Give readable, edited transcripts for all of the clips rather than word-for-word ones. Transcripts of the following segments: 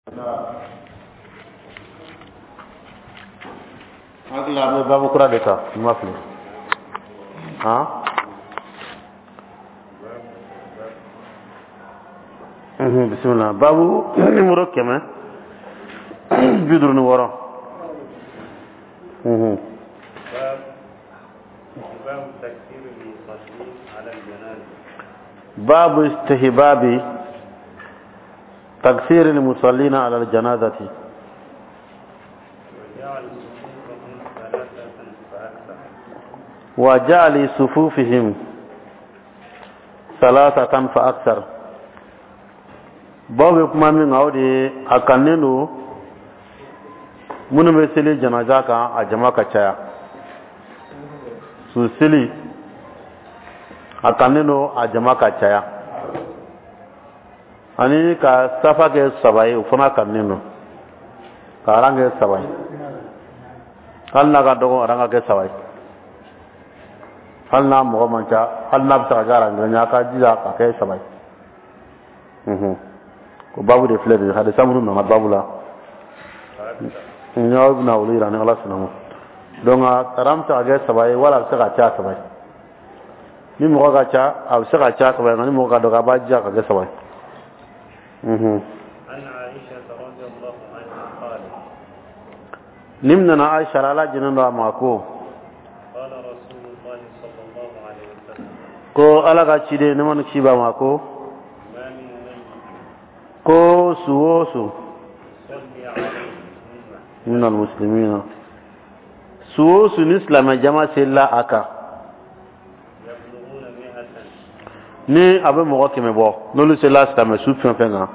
Hakili la an bɛ babu kura de ta, n ma fili han. Bisimila, babu numéro 156. Babu istihbabi taksir al-musallina ala al-janazati wa ja'ali sufufihim salasatan fa akthar. Babu bɛ kuma min kan, o de ye a kannen don minnu bɛ seli janaja kan, a jama ka caya. Su seli, a kannen don a jama ka caya, ani ka safa kɛ saba ye, o fana kannen don ka aran kɛ saba ye. Hali n'a ka dɔgɔ, aran ka kɛ saba ye, hali n'a mɔgɔ man ca, hali n'a bɛ se ka kɛ aran kelen ye, a ka jija ka kɛ saba ye. O babu de filɛ nin ye. Hadisa minnu nana babu la, n y'aw bɛna olu yira ni Ala sɔnna ma. Donc aran bɛ se ka kɛ saba ye, wala a bɛ se ka caya saba ye. Ni mɔgɔ ka ca, a bɛ se ka caya saba ye, nka ni mɔgɔ ka dɔgɔ, a b'a jija ka kɛ saba ye. Nin minɛna Aisha la, Ala jɛnnen don a ma, ko Ala ka ciden, nɛɛma ni kisi b'a ma, ko su o su minal muslimina, su o su ni silamɛ jama selila a kan, ni a bɛ mɔgɔ 100 bɔ, n'olu selila silamɛ su fɛn fɛn kan,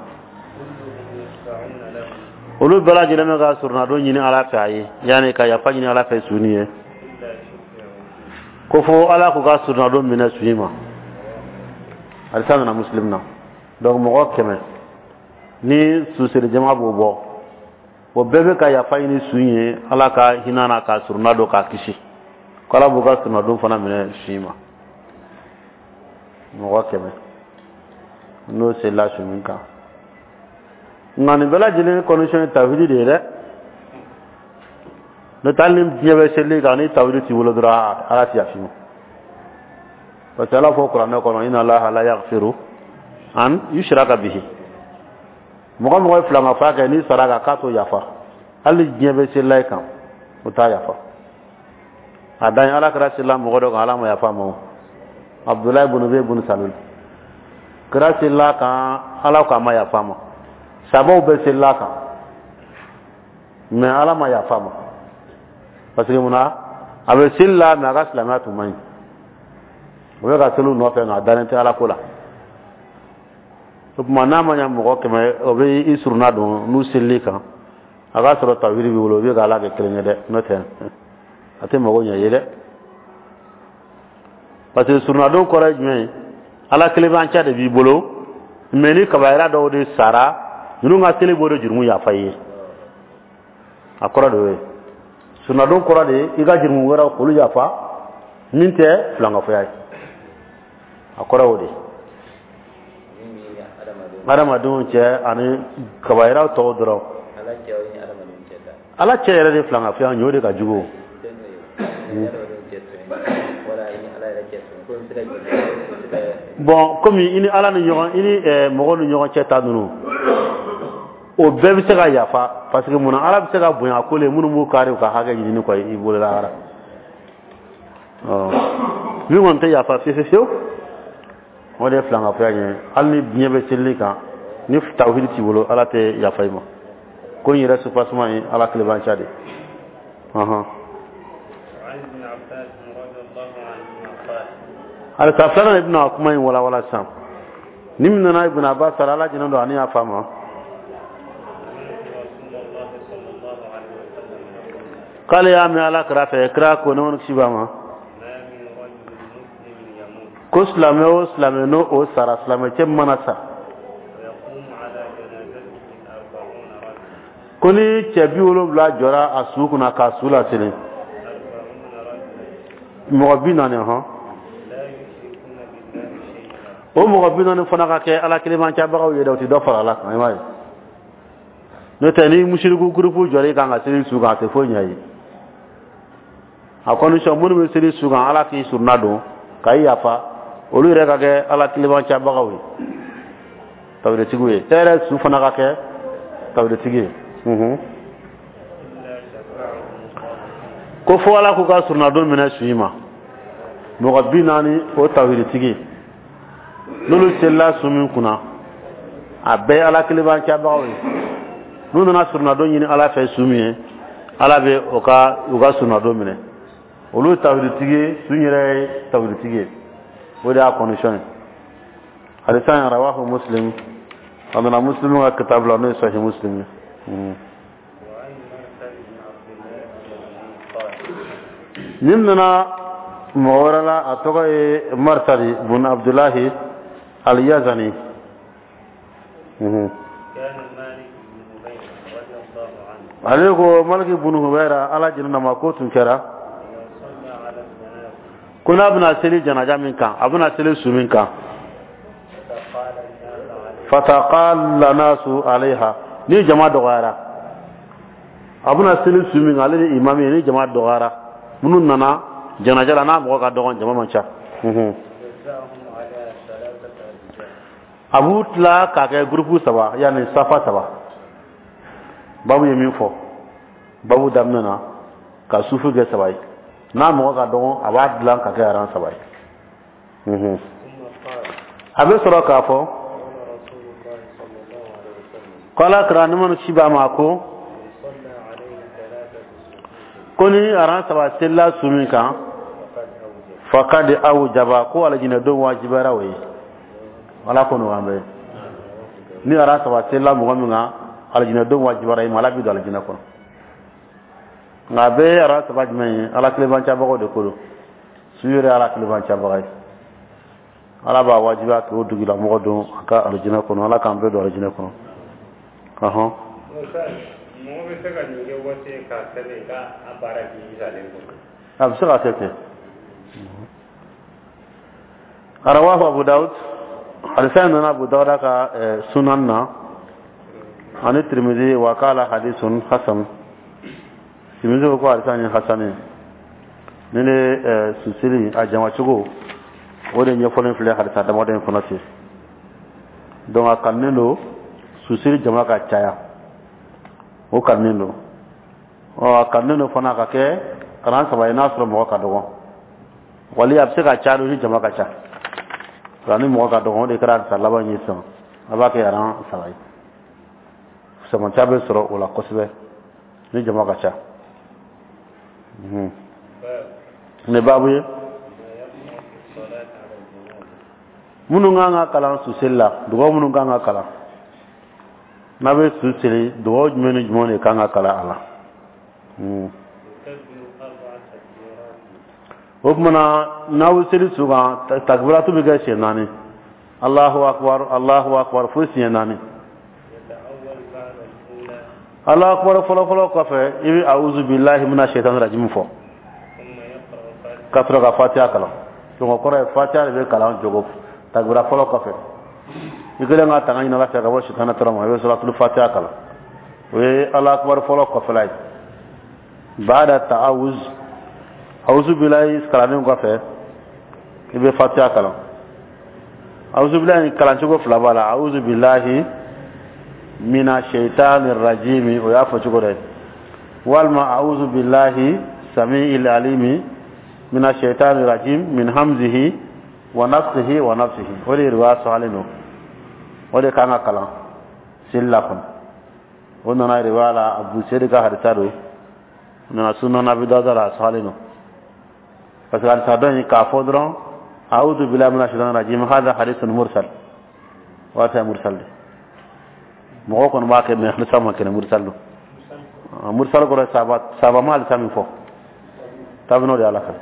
olu bɛɛ lajɛlen bɛ ka surunadon ɲini Ala fɛ a ye, yanni ka yafa ɲini Ala fɛ su nin ye, ko fo Ala k'u ka surunadon minɛ su in ma. Hadisa nana Muslim na. Donc mɔgɔ 100 ni suseli jama b'o bɔ, o bɛɛ bɛ ka yafa ɲini su in ye, Ala ka hinɛ n'a ka surunadon k'a kisi, ko Ala b'u ka surunadon fana minɛ su in ma. Mɔgɔ 100 n'o selila su min kan. Nka nin bɛɛ lajɛlen condition ye tawhidi de ye dɛ. N'o tɛ, hali ni diɲɛ bɛ seli kan, ni tawhidi t'i bolo dɔrɔn, Ala tɛ yafa i ma, parce que Ala fɔ kuranɛ kɔnɔ: inna Allaha la yaghfiru an yushraka bihi. Mɔgɔ mɔgɔ ye filankafoya kɛ, n'i sara kan, k'a t'o yafa. Hali ni diɲɛ bɛ selila i kan, o t'a yafa. A dan ye Ala kira selila mɔgɔ dɔ kan, Ala ma yafa ma, o Abdulayi bun Ubay bun Salul. Kira selila kan, Ala ko a ma yafa ma. Sabaw bɛɛ selila kan, mais Ala ma yafa ma, parce que munna? A bɛ seli la, mais a ka silamɛya tun man ɲi. O bɛ ka seli u nɔfɛ, nka a dalen tɛ Ala ko la. O tuma, n'a ma ɲɛ mɔgɔ 100, o bɛ i surunna don n'u selili kan, a k'a sɔrɔ tawhidi b'i bolo, o bɛ ka Ala kɛ kelen ye dɛ. N'o tɛ, a tɛ mago ɲɛ ye dɛ, parce que surunadon kɔrɔ ye jumɛn ye? Ala kelenbanciya de b'i bolo, mais ni kabayira dɔw de sara, ninnu ka seli b'o de jurumu yafa i ye. A kɔrɔ de y'o ye. Surunadon kɔrɔ de ye i ka jurumu wɛrɛw k'olu yafa, min tɛ filankafoya ye. A kɔrɔ y'o de ye. Adamadenw cɛ ani kabayiraw tɔw dɔrɔn. Ala cɛ yɛrɛ de filankafoya ɲɔ de ka jugu. Bon, komi i ni Ala ni ɲɔgɔn, i ni mɔgɔw ni ɲɔgɔn cɛ ta ninnu, o bɛɛ bɛ se ka yafa, parce que munna? Ala bɛ se ka bonya ko le minnu b'u kari u ka hakɛ ɲini kɔ i bolo lahara. Min kɔni tɛ yafa fiyewu fiyewu, o de ye filankafoya ye. Hali ni diɲɛ bɛ selili kan, ni tawhidi t'i bolo, Ala tɛ yafa i ma. Ko n yɛrɛ soubassement ye Ala kelenbanciya de. Hadisa filanan de bɛna kuma in walawala sisan. Nin minɛna Ibn Abbas, Ala jɛnnen don ani y'a fa ma, k'ale y'a mɛn Ala kira fɛ, kira ko, nɛɛma ni kisi b'a ma, ko silamɛ o silamɛ n'o o sara, silamɛ cɛ mana sa, ko ni cɛ 70 jɔra a su kunna k'a su laseli, mɔgɔ 40 hɔn, o mɔgɔ 40 fana ka kɛ Ala kelenbancabagaw ye dɛ, o tɛ dɔ fara Ala kan. I m'a ye, N'o tɛ, ni musiriku gurupu jɔr'i kan ka seli su kan, a tɛ foyi ɲɛ ye. A condition, minnu bɛ seli su kan, Ala k'i surunna don ka i yafa, olu yɛrɛ ka kɛ Ala kilebancabagaw ye, tawhiditigiw ye, e yɛrɛ su fana ka kɛ tawhiditigi ye. Ko fo Ala k'u ka surunadon minɛ su in ma. Mɔgɔ 40, o tawhiditigi, n'olu selila su min kunna, a bɛɛ ye Ala kilebancabagaw ye. N'u nana surunadon ɲini Ala fɛ su min ye, Ala bɛ u ka surunadon minɛ. Olu ye tawhiditigi ye, su yɛrɛ ye tawhiditigi ye. O de y'a condition ye. Hadisa in, rawahu Muslim, a nana Muslim ka kitabu la, n'o ye Sahih Muslim ye. Nin nana mɔgɔ wɛrɛ la, a tɔgɔ ye Marsadi bun Abdulahi Al-Yazani. Ale ko Maliki bun Hubayra, Ala jɛnna ma, ko tun kɛra ko n'a bɛna seli janaja min kan, a bɛna seli su min kan, fataqalla nasu alayha, ni jama dɔgɔyara, a bɛna seli su min kan, ale ni imam ye, ni jama dɔgɔyara, minnu nana janaja la, n'a mɔgɔ ka dɔgɔn, jama man ca, a b'u tila k'a kɛ gurupu saba, yanni safa saba. Babu ye min fɔ babu daminɛ na, ka sufu kɛ saba ye, n'a mɔgɔ ka dɔgɔn, a b'a dilan ka kɛ aran saba ye. A bɛ sɔrɔ k'a fɔ ko Ala kira, nɛɛma ni kisi b'a ma, ko ni aran saba selila su min kan, fakadi awjaba, ko alijinɛ don wajibara o ye. Ala ko nɔgɔya an bɛɛ. Ni aran saba selila mɔgɔ min kan, alijinɛ don wajibara i ma, Ala b'i don alijinɛ kɔnɔ. Nka a bɛɛ ye aran saba jumɛn ye? Ala kilebancabagaw de ko don. Su yɛrɛ Ala kilebancabaga ye, Ala b'a wajibiya k'o dugulamɔgɔ don a ka alijinɛ kɔnɔ. Ala k'an bɛɛ don alijinɛ kɔnɔ. Ɔhɔn. Mɔgɔ bɛ se ka nin kɛ waati k'a sɛbɛn k'a baara k'i salen kɔnɔ? A bɛ se ka kɛ ten. Rawahu Abu Dawud, hadisa in nana Abu Dawuda ka sunan na, ani Tirmidhi, wa qala hadithun hasan. Tirmidhi ko ko hadisa in ye hasan ye. Ni ne susili a jamacogo, o de ɲɛfɔlen filɛ hadisa damadɔ in kɔnɔ ten. Donc a kanunen don susili jama ka caya, o kanunen don. Ɔ, a kanunen don fana ka kɛ kalan saba ye, n'a sɔrɔ mɔgɔ ka dɔgɔ, wali a bɛ se ka caya ni jama ka ca. Nka ni mɔgɔ ka dɔgɔ, o de kɛra hadisa laban ye sisan, a b'a kɛ aran saba ye. Samaca bɛ sɔrɔ o la kosɛbɛ ni jama ka ca. Nin baabu ye minnu kan ka kalan suseli la, dugawu minnu kan ka kalan n'a bɛ su seli, dugawu jumɛn ni jumɛn de kan ka kalan a la? O tuma na, n'aw bɛ seli su kan, takbiratu bɛ kɛ siɲɛ naani, Allahu akbar, Allahu akbar, fo siɲɛ naani. Allahu akbar fɔlɔfɔlɔ kɔfɛ, i bɛ awuzu bilahi mina shaitan rajim fɔ, ka sɔrɔ ka fatiha kalan. Donc o kɔrɔ ye fatiha de bɛ kalan jogo takbira fɔlɔ kɔfɛ. I kɛlen ka tanga ɲini Ala fɛ ka bɔ sitana tɔɔrɔ ma, i bɛ suratul fatiha kalan. O ye Allahu akbar fɔlɔ kɔfɛla ye. Baada ta'awuz, awuzu bilahi kalannen kɔfɛ, i bɛ fatiha kalan. Awuzu bilahi kalancogo fila b'a la: awuzu bilahi mina shaitani rajimi, o y'a fɔ cogo dɔ ye, walima awuzu bilahi samiil alimi mina shaitani rajim min hamzihi wa nafsihi wa nafsihi. O de ye riwaya sɔhalen don, o de kan ka kalan seli la kɔnɔ. O nana riwaya la, Abu Seyid ka hadisa don, nana Sunan Abi Dawuda la, a sɔhalen don. Parce que hadisa dɔ in k'a fɔ dɔrɔn a'udhu billahi minash shaitani rajim, hadha hadithun mursal, waati mursal de mɔgɔ kɔni b'a kɛ, mais hadisa ma kɛnɛ, mursal don. Mursal kɔrɔ saba ma hadisa min fɔ tabino de ala fɛ,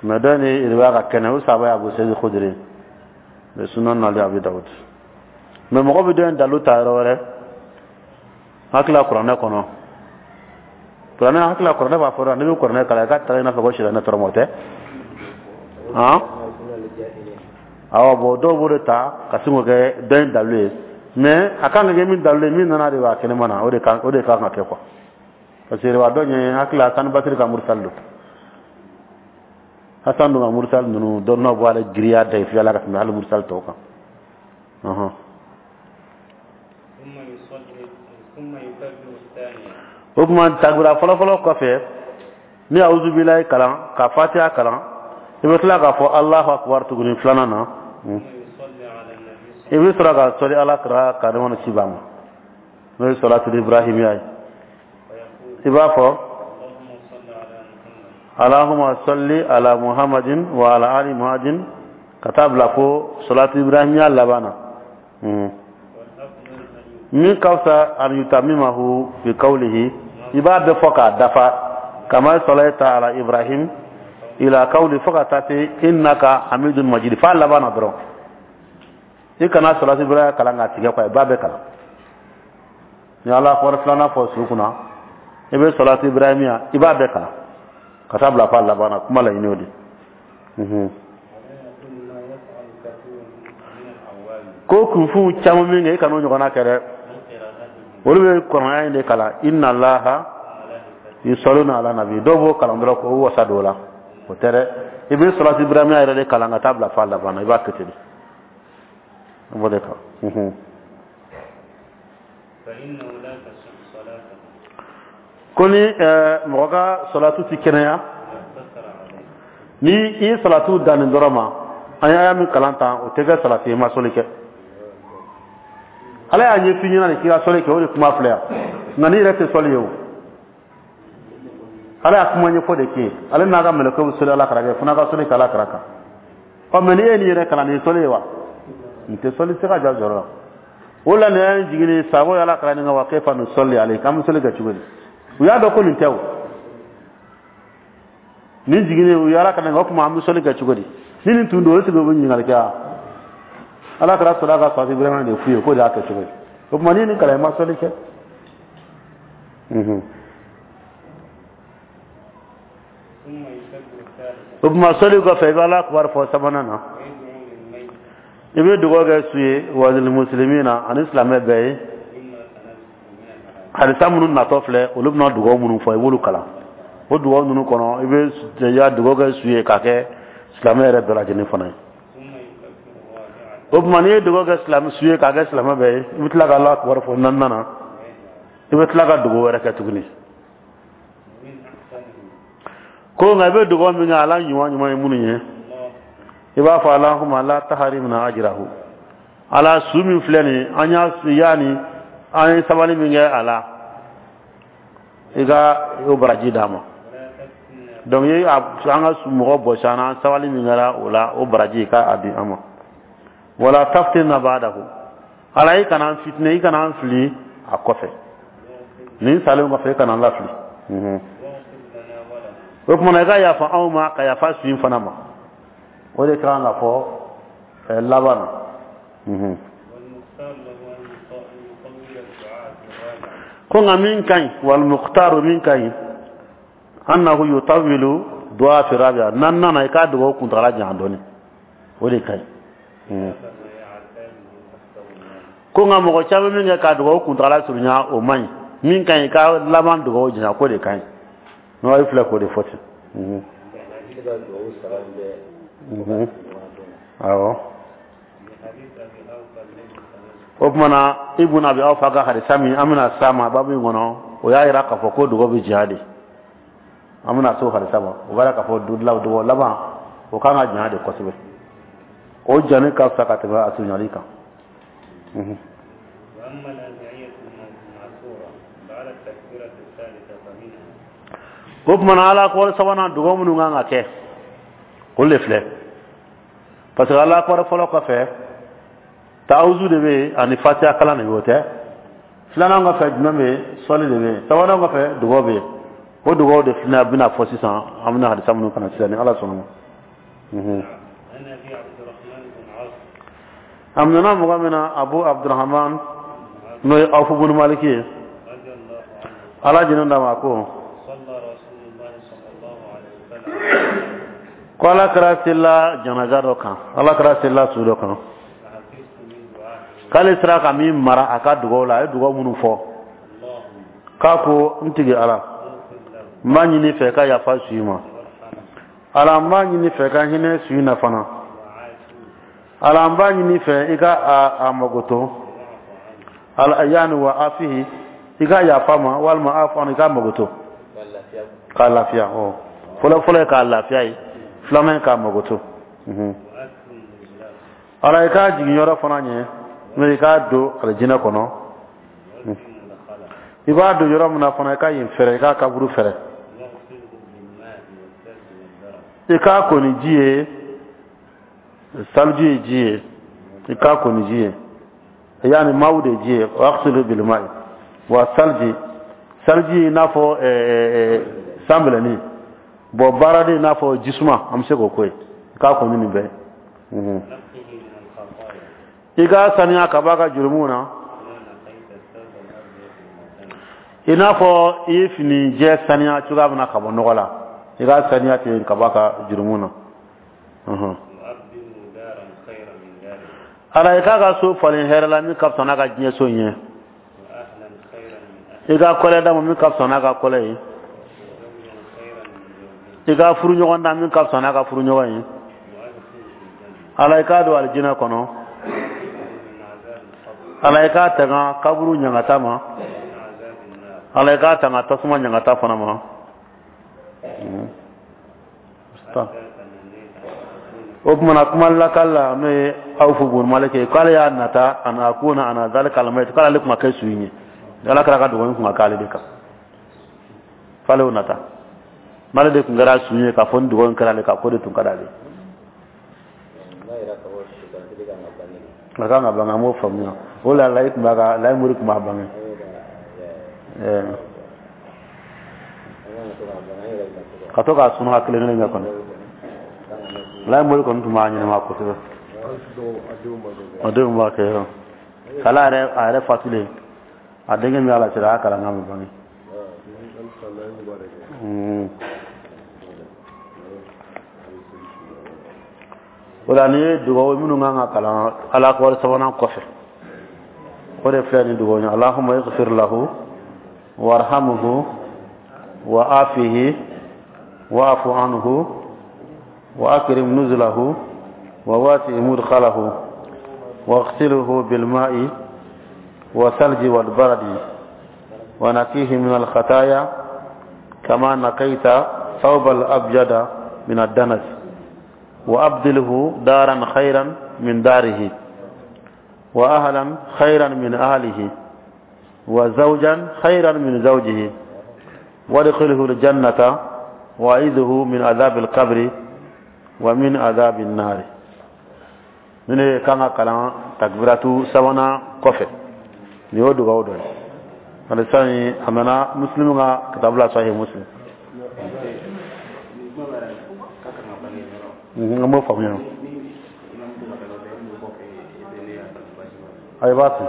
mais dɔ ni riwaya ka kɛnɛ, o saba ye Abu Seyid Khudri, mais Sunan nali Abi Dawud. Mais mɔgɔ bɛ dɔ in dalu ta yɔrɔ wɛrɛ, hakili la kuranɛ kɔnɔ, kuranɛ hakili la, kuranɛ b'a fɔ n'i bɛ kuranɛ kalan, i ka ta i n'a fɔ ko sitanɛ tɔɔrɔ ma, o tɛ han. Awɔ, bon, dɔw b'o de ta ka sin k'o kɛ dɔ in dalu ye. Mais a kan ka kɛ min dalilu ye, min nana de b'a kɛnɛma na, o de kan ka kɛ quoi, parce que riwaya dɔ ɲɛ hakili la, Hasan Basiri ka mursal don. Hasan dun ka mursal ninnu, dɔnniyaw b'ale giriya dayifiya la ka tɛmɛ hali mursal tɔw kan. Ɔhɔn. ثم يصلي ثم يكبر الثانية. O tuma, takbira fɔlɔfɔlɔ kɔfɛ, ni awuzubilayi kalan ka Fatiha kalan, i bɛ tila k'a fɔ Alahu akubar tuguni filanan na. ثم يصلي على النبي. I bɛ sɔrɔ ka sɔli Ala kira ka nɛɛma ni kisi b'a ma, n'o ye sɔlatul ibrahimiya ye. ويقول: I b'a fɔ: اللهم صل على محمد. Allahumma salli ala Muhammadin wa ala ali Muhammadin, ka taa bila fo salatu ibrahimiya laban na. والأفضل أن Min ka fisa, an yutamimahu bi qawlihi, i b'a bɛɛ fɔ k'a dafa, kama salaita ala Ibrahim ila qawli, fo ka taa se innaka hamidun majid, f'a laban na dɔrɔn. I kana salatu ibrahimiya kalan k'a tigɛ quoi, i b'a bɛɛ kalan. Ni Ala kɔrɔ filanan fɔ su kunna, i bɛ salatu ibrahimiya, i b'a bɛɛ kalan ka taa bila f'a laban na. Kuma laɲini o de. ولا يكون ما يفعل كثير من العوام Ko kunfinw caman min kɛ, i kan'o ɲɔgɔnna kɛ dɛ. من قراءتهم Olu bɛ kɔnɔya in de kalan, inna Allaha وملائكته yusalluna ala nabi. Dɔw b'o kalan dɔrɔn k'o wasa don o la. O tɛ dɛ, i bɛ salatu ibrahimiya yɛrɛ de kalan ka taa bila f'a laban na. I b'a kɛ ten de, i b'o de kan. فإنه لا تصح صلاته Ko ni mɔgɔ ka salatu ti kɛnɛya إذا اقتصر عليه. ni i ye salatu dan nin dɔrɔn ma, an y'a min kalan tan, o tɛ kɛ salatu ye, i ma sɔli kɛ. Ala y'a ɲɛf'i ɲɛna de k'i ka sɔli kɛ, o de kuma filɛ yan. Nka n'i yɛrɛ tɛ sɔli ye, o Ala y'a kuma ɲɛfɔ de k'e ye. Ale n'a ka mɛlɛkɛw bɛ sɔli Ala kira kɛ, fo n'a ka sɔli kɛ Ala kira kan. Ɔ, mɛ n'i ye nin yɛrɛ kalan, nin ye sɔli ye wa? Nin tɛ sɔli, se ka ja jɔyɔrɔ la. O la, nin y'an jigin sago ye Ala kira nin kan wa kayfa nusalli alayhi, k'an bɛ sɔli kɛ cogo di? U y'a dɔn ko nin tɛ o. Nin jiginnen, u ye Ala kira nin kan, o tuma an bɛ sɔli kɛ cogo di? Ni nin tun don, o sigi u bɛ ɲininkali kɛ wa? Ala kira sɔrɔ ka salatu ibrahima de f'u ye k'o de y'a kɛ cogo ye. O tuma, n'i ye nin kalan, i ma sɔli kɛ. ثم يكبر الثالثة. O tuma, sɔli kɔfɛ, i bɛ Ala kibaru fɔ sabanan na. ويدعو للميت. I bɛ dugawu kɛ su ye, walil muslimina, ani silamɛ bɛɛ ye. مما سنذكر من الأحاديث. Hadisa minnu natɔ filɛ, olu bɛna dugawu minnu fɔ, i b'olu kalan. O dugawu ninnu kɔnɔ, i bɛ ya dugawu kɛ su ye k'a kɛ silamɛ yɛrɛ bɛɛ lajɛlen fana ye. ثم يكبر الرابعة. O tuma, n'i ye dugawu kɛ silamɛ su ye k'a kɛ silamɛ bɛɛ ye, i bɛ tila ka Ala kibaru fɔ naaninan na, i bɛ tila ka dugawu wɛrɛ kɛ tuguni. ومن أحسنه Ko nka i bɛ dugawu min kɛ, ala ɲuman ɲuman ye minnu ye, الله i b'a fɔ: Allahumma la taharimna ajrahu. Ala, su min filɛ nin ye, an y'a yaani an ye sabali min kɛ a la, i ka o baraji d'a ma. ولا تفتنا. Donc i an ka su mɔgɔ bɔsi an na, an sabali min kɛra o la, o baraji, i ka a di an ma. Wala taftinna ba'dahu. Ala, i kana an fitinɛ, i kana an fili a kɔfɛ, nin salen kɔfɛ, i kana an lafili. واغفر لنا وله. O tuma na, i ka yafa anw ma ka yafa su in fana ma. O de kan ka fɔ laban na. والمختار له أن يطول الدعاء في الرابعة. Ko nka min ka ɲi, wal mukhtaru, min ka ɲi, annahu yutawilu du'a fi rabi'a, naaninan na, i k'a dugawu kuntagala janya dɔɔni, o de ka ɲi. خلاف ما يعتاده أكثر الناس. Ko nka mɔgɔ caman min kɛ k'a dugawu kuntagala surunya, o man ɲi. Min ka ɲi, ka laban dugawu janya, k'o de ka ɲi. N'o ye filɛ, k'o de fɔ ten. Awɔ. لحديث أبي أوفى الذي سنذكر. O tuma na, Ibn Abi Awfa ka hadisa min an bɛna s'a ma babu in kɔnɔ, o y'a yira k'a fɔ ko dugawu bɛ janya de. An bɛna s'o hadisa ma, o b'a yira k'a fɔ dugawu laban, o kan ka janya de kosɛbɛ. O jani ka fisa ka tɛmɛ a surunyali kan. وأما الأدعية المأثورة بعد التكبيرة الثالثة فمنها: O tuma na, Ala kɔrɔ sabanan, dugawu minnu kan ka kɛ, olu de filɛ, parce que Ala kɔrɔ fɔlɔ kɔfɛ, taawuzu de bɛ yen ani Fatiha kalan de bɛ yen, o tɛ. Filanan kɔfɛ, jumɛn bɛ yen? Sɔli de bɛ yen. Sabanan kɔfɛ, dugawu bɛ yen. O dugawu de filɛ bɛna fɔ sisan, an bɛna hadisa minnu kana sisan, ni Ala sɔnna ma. عن أبي عبد الرحمن بن عوف. A minɛna mɔgɔ min na, Abu Abdurahman, n'o ye Awfu bunu Maliki ye, رضي الله عنه. Ala jɛnɛ d'a ma, ko: صلى رسول الله صلى الله عليه وسلم. Ko Ala kɛra selila janaja dɔ kan, Ala kɛra selila su dɔ kan. فحفظت من دعائه. K'ale sera ka min mara a ka dugaw la, a ye dugaw minnu fɔ, k'a ko: n tigi Ala, n b'a ɲini fɛ ka yafa su ma. Ala, n b'a ɲini fɛ ka hinɛ su in na fana. Ala, n b'a ɲini fɛ i ka a magoto. Ala, yaani wa afihi, i ka yafa ma, walima a fana i ka magoto k'a lafiya. Ɔ, fɔlɔ fɔlɔ ye k'a lafiya ye, filanan ye k'a magoto. Ala, i k'a jigin yɔrɔ fana ɲɛ, n'o i k'a don alijinɛ kɔnɔ. I b'a don yɔrɔ min na fana, i ka yen fɛrɛ, i k'a kaburu fɛrɛ, i k'a ko ni ji ye. Saliji ye ji ye, i k'a ko ni ji ye, yaani maaw de ji ye. Waghsilu bilma'i wa salji. Salji i n'a fɔ sanbɛlɛnin, bon, baaraden i n'a fɔ jisuma, an bɛ se k'o ko ye. I k'a ko ni nin bɛɛ ye, i k'a saniya ka bɔ a ka jurumu na, i n'a fɔ i ye fini jɛ saniya cogoya min na ka bɔ nɔgɔ la, i k'a saniya ten ka bɔ a ka jurumu na. Ala, i k'a ka so falen hɛrɛ la min ka fisa n'a ka diɲɛ so in ye, i ka kɔlɛ d'a ma min ka fisa n'a ka kɔlɛ ye, i ka furuɲɔgɔn da min ka fisa n'a ka furuɲɔgɔn ye. Ala, i k'a don alijinɛ kɔnɔ. Ala, i k'a tanga kaburu ɲangata ma. Ala, i k'a tanga tasuma ɲangata fana ma. O tuma na, kuma lakali la, n'o ye Awfu bun Malik ye, k'ale y'a nata an akuna ana zalika almayit, k'ale tun ka kɛ su in ye, Ala kira ka dugawu in tun ka k'ale de kan, k'ale y'o nata n'ale de tun kɛra su ye, k'a fɔ ni dugawu in kɛra ale kan, k'o de tun ka d'ale. A kan ka bange, an b'o faamuya. O la, layi tun b'a ka layi mori tun b'a bange. Ka to k'a sunɔgɔ kelen kelen kɛ kɔni, layi mori kɔni tun b'a ɲɛnama kosɛbɛ. A denw b'a kɛ yɔrɔ k'ala yɛrɛ, a yɛrɛ fatulen, a denkɛ min y'a la cɛla, a y'a kalan k'a ma bange. O la, nin ye dugawu minnu kan ka kalan Ala akibaru sabanan kɔfɛ, o de filɛ nin dugawu ye: Allahumma ighfir lahu warhamhu wa afihi wa'fu anhu wa akrim nuzulahu wa wasi mudkhalahu waghsilhu bilma'i wa salji wal baradi wa naqihi min al khataya kama naqaita thawb al abyada min ad danas wa abdilhu daran khayran min darihi wa ahlan khayran min ahlihi wa zawjan khayran min zawjihi وادخله الجنة وأعيذه من عذاب القبر ومن عذاب النار. Nin de kan ka kalan takbiratu sabanan kɔfɛ. Nin y'o dugawu dɔ ye. Hadisa in, a nana Muslim ka kitabu la, Sahih Muslim. An b'o faamuya. Ayi, b'a to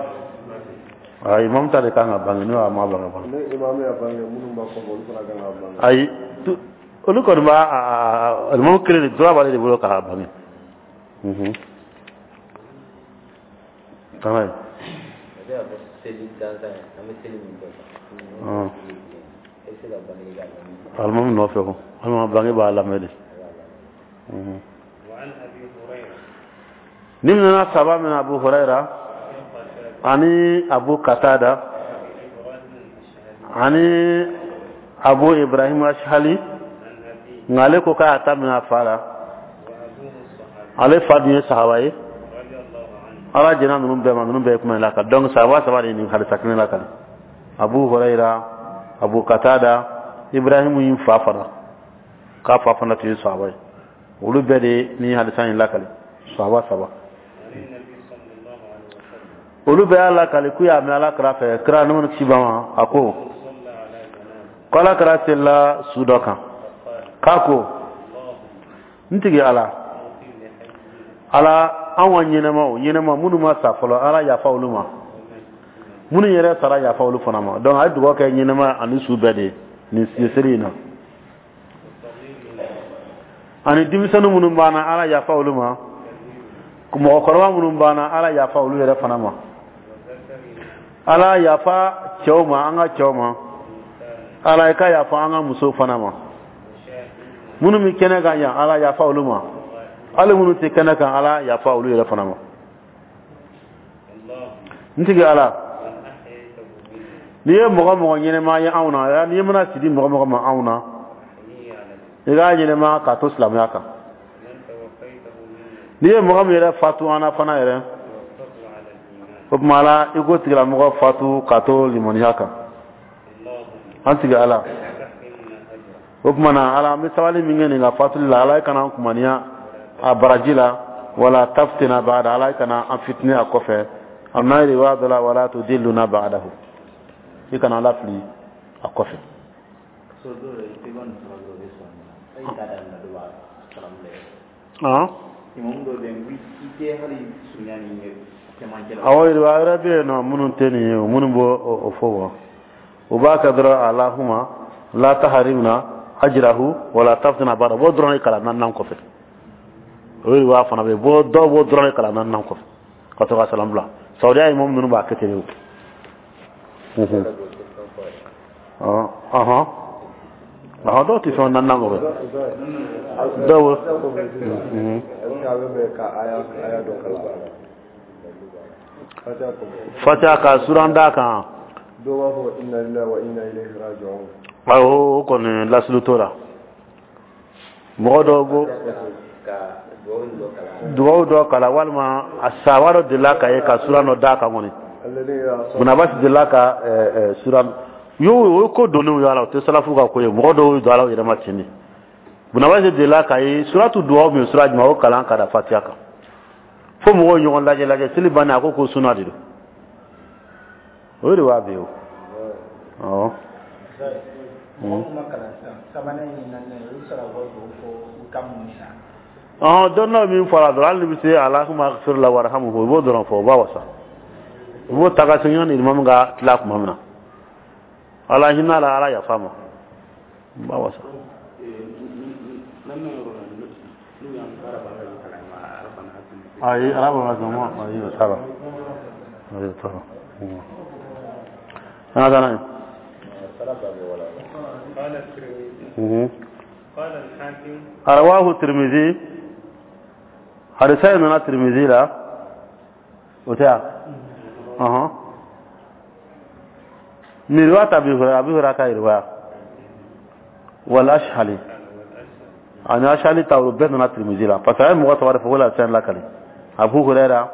ayi, imam ta de kan ka bange, n'o y'a ma bange fana. Ayi, olu kɔni b'a, imam kelen de droit b'ale de bolo k'a bange. Tama ye. Alimami nɔfɛ ko walima bange b'a lamɛn de. Ni nana saba min, Abu Huraira ani Abu Katada ani Abu Ibrahim Ashhali, nka ale ko k'a ta minɛ a fa la. Ale fa dun ye sahaba ye. Ala jɛnna ninnu bɛɛ ma. Ninnu bɛɛ ye kuma in lakali. Donc sahaba saba de ye nin hadisa kelen lakali: Abu Huraira, Abu Katada, Ibrahim y'i fa fana, k'a fa fana tun ye sahaba ye. Olu bɛɛ de ye nin hadisa in lakali, sahaba saba. Olu bɛɛ y'a lakali k'u y'a mɛn Ala kira fɛ, kira nɛɛma ni kisi b'a ma, a ko ko Ala kira selila su dɔ kan, k'a ko: n tigi Ala, Ala, anw ka ɲɛnɛmaw, ɲɛnɛma minnu ma sa fɔlɔ, Ala yafa olu ma, minnu yɛrɛ sara, yafa olu fana ma. Donc a ye dugawu kɛ ɲɛnɛma ani su bɛɛ de ye nin seli in na, ani denmisɛnnin minnu b'an na, Ala yafa olu ma, mɔgɔkɔrɔba minnu b'an na, Ala yafa olu yɛrɛ fana ma. Ala yafa cɛw ma, an ka cɛw ma. Ala, i ka yafa an ka musow fana ma. Minnu bɛ kɛnɛ kan yan, Ala yafa olu ma. Hali minnu tɛ kɛnɛ kan, Ala yafa olu yɛrɛ fana ma. N tigi Ala, n'i ye mɔgɔ mɔgɔ ɲɛnɛma ye anw na, n'i mana sidi mɔgɔ mɔgɔ ma anw na, i k'a ɲɛnɛma k'a to silamɛya kan. N'i ye mɔgɔ min yɛrɛ fatu an na fana yɛrɛ, o tuma Ala, i k'o tigilamɔgɔ fatu k'a to limaniya kan. An tigi Ala, o tuma na Ala, an bɛ sabali min kɛ nin ka fatuli la, Ala, i kana an kumaniya a baraji la. Wala taftina ba'da, Ala, i kana an fitinɛ a kɔfɛ. A n'a riwaya dɔ la, wala tudilluna ba'dahu, i kana ala fili a kɔfɛ. Awɔ, riwaya wɛrɛ bɛ yen nɔ minnu tɛ nin ye, minnu b'o o fɔ wa, u b'a kɛ dɔrɔn alahuma la taharimna ajrahu wala taftina ba'da, b'o dɔrɔn de kalan naaninan kɔfɛ. O riwaya fana bɛ yen, dɔw b'o dɔrɔn de kalan naaninan kɔfɛ ka to ka salam bila. Saudiya imam ninnu b'a kɛ ten de o. Ɔhɔn, dɔw tɛ fɛn naaninan kɔfɛ, dɔw. Fatiha ka suran d'a kan. Dɔw b'a fɔ inna lillahi wa inna ilayhi raji'un. Awɔ, o kɔni lasulu t'o la. Mɔgɔ dɔw ko dugawu dɔ kalan, walima a sahaba dɔ delila ka ye ka suran dɔ d'a kan kɔni. Bunabasi delila ka suran y'o, o ye ko donnenw y'a la, o tɛ salafu ka ko ye. Mɔgɔ dɔw don ala yɛrɛ ma ten de. Bunabasi delila ka ye suratu dugawu min, sura jumɛn, o kalan ka da Fatiha kan, fo mɔgɔw ɲɔgɔn lajɛ lajɛ. Seli bannen, a ko ko suna de don. O de b'a bɛ o. Awɔ. Ɔhɔn, dɔnniyaw min fɔra dɔrɔn, hali ni bɛ se alahuma agfir lahu warhamhu, i b'o dɔrɔn fɔ, o b'a wasa. I b'o ta ka segin yanni imamu ka tila tuma min na. Ala hinɛ la, Ala yafa ma, o b'a wasa. Ayi, ala b'a ma, ayi, o t'a la, ayi, o t'a la. An ka taa n'a ye. Rawahu Tirmidhi, hadisa in nana Tirmidhi la, o tɛ yan. Ɔhɔn, min riwayat Abi Hurairah, Abi Hurairah ka riwaya, wal Ashhali, ani Ashhali ta, olu bɛɛ nana Tirmidhi la, parce que a ye mɔgɔ saba de fɔ ko la fɛn lakali: Abu Hurairah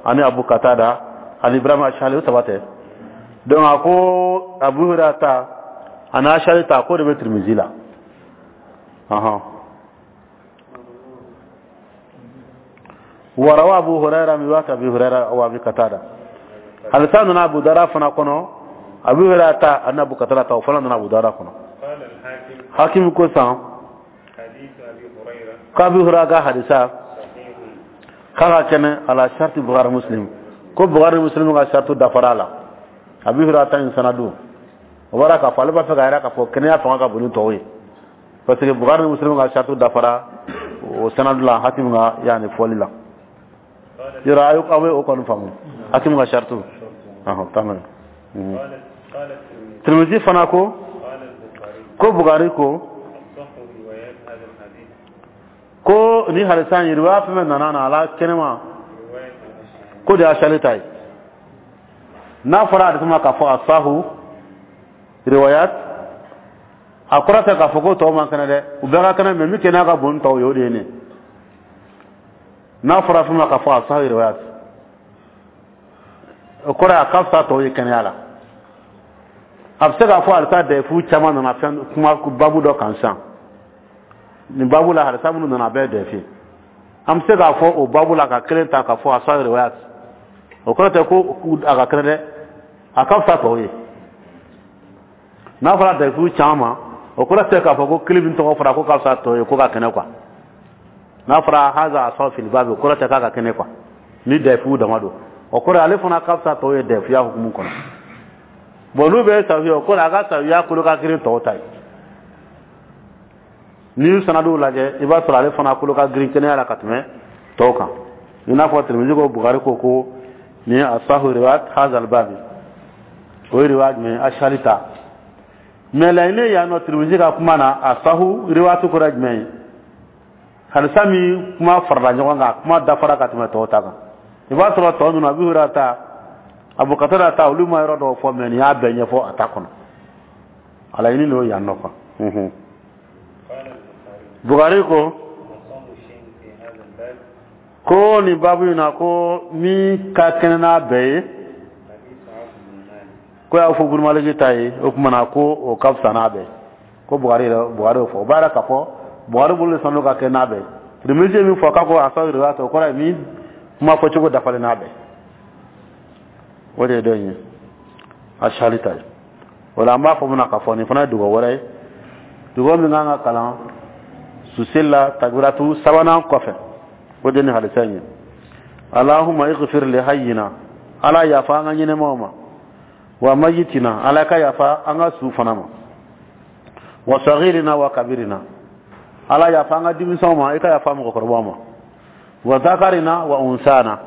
ani Abu Qatada ani Ibrahim Ashhali, o saba tɛ. Donc a ko Abu Hurairah ta ani Ashhali ta, k'o de bɛ Tirmidhi la. Ɔhɔn, warawa Abu Hurairah min riwayat Abi Hurairah wa Abi Qatada, hadisa nana Abu Dawuda fana kɔnɔ. Abu Hurairah ta ani Abu Qatada ta, o fana nana Abu Dawuda kɔnɔ. Hakim ko san k'Abi Hurairah ka hadisa k'a ka kɛnɛ ala sharti Bukhari Muslim, ko Bukhari Muslim ka shartu dafara a la. Abi Hurairah ta in sanadu, o bɔra k'a fɔ ale b'a fɛ ka yira k'a fɔ kɛnɛya fanga ka bon ni tɔw ye, parce que Bukhari Muslim ka shartu dafara o sanadu la, Hakim ka yanni fɔli la. Yɔrɔ aw bɛ o kɔni faamu, Hakim ka shartu. Ɔhɔn, taa n'a ye. Tirmidhi fana ko ko Bukhari ko ko ni hadisa in riwaya fɛn fɛn nana na ala kɛnɛma, ko de Ashali ta ye. N'a fɔra hadisa ma k'a fɔ asahu riwayat, a kɔrɔ tɛ k'a fɔ ko tɔw man kɛnɛ dɛ, u bɛɛ ka kɛnɛ, mais min kɛnɛya ka bon ni tɔw ye, o de ye nin. N'a fɔra fɛn ma k'a fɔ asahu riwayat, o kɔrɔ ye a ka fisa tɔw ye kɛnɛya la. A bɛ se k'a fɔ hadisa dɛfu caman nana fɛn kuma babu dɔ kan sisan. Nin babu la, hadisa minnu nana, a bɛɛ dɛfu. An bɛ se k'a fɔ o babu la ka kelen ta k'a fɔ asahu riwayat, o kɔrɔ tɛ ko a ka kɛnɛ dɛ, a ka fisa tɔw ye. N'a fɔra dɛfu caman ma, o kɔrɔ tɛ k'a fɔ ko kelen min tɔgɔ fɔra ko ka fisa tɔw ye, ko ka kɛnɛ quoi. N'a fɔra haza asahu fil babi, o kɔrɔ tɛ k'a ka kɛnɛ quoi. Ni dɛfu dama don, o kɔrɔ ale fana ka fisa tɔw ye dɛfuya hukumu kɔnɔ. Bon, n'u bɛ sahiya, o kɔrɔ a ka sahiya kolo ka girin tɔw ta ye. N'i y'u sanaduw lajɛ, i b'a sɔrɔ ale fana kolo ka girin kɛnɛya la ka tɛmɛ tɔw kan. I n'a fɔ Tirmidhi ko Bukhari ko ko ni asahu riwayat hazal babi. O ye riwaya jumɛn ye? Ashali ta. Mais laɲini yan nɔ, Tirimizi ka kuma na, asahu riwayatu kɔrɔ jumɛn ye? Hadisa min kuma farala ɲɔgɔn kan, kuma dafara ka tɛmɛ tɔw ta kan. I b'a sɔrɔ tɔ ninnu, Abu Hurayra ta, Abu Qatada ta, olu ma yɔrɔ dɔw fɔ, mais nin y'a bɛɛ ɲɛfɔ a ta kɔnɔ. A laɲini n'o yan nɔ quoi. Bukhari ko ko nin babu in na, ko min ka kɛnɛ n'a bɛɛ ye, ko y'a fɔ Bun Maliki ta ye, o tuma na ko o ka fisa n'a bɛɛ. Ko Bukhari yɛrɛ, Bukhari y'o fɔ. O b'a yira k'a fɔ Bukhari bolo de sanu ka kɛ n'a bɛɛ. Tirimizi ye min fɔ k'a ko asahu riwayat, o kɔrɔ ye min kuma fɔcogo dafalen n'a bɛɛ. O de ye dɔ in ye, Ashali ta ye. O la an b'a fɔ mun na k'a fɔ nin fana ye dugawu wɛrɛ ye, dugawu min kan ka kalan suseli la takbiratu sabanan kɔfɛ. O de ni hadisa in ye: Allahumma ighfir li hayyina, Ala yafa an ka ɲɛnɛmaw ma, wa mayitina, Ala ka yafa an ka su fana ma, wa saghirina wa kabirina, Ala yafa an ka denmisɛnw ma, i ka yafa mɔgɔkɔrɔbaw ma, wa zakarina wa unsana,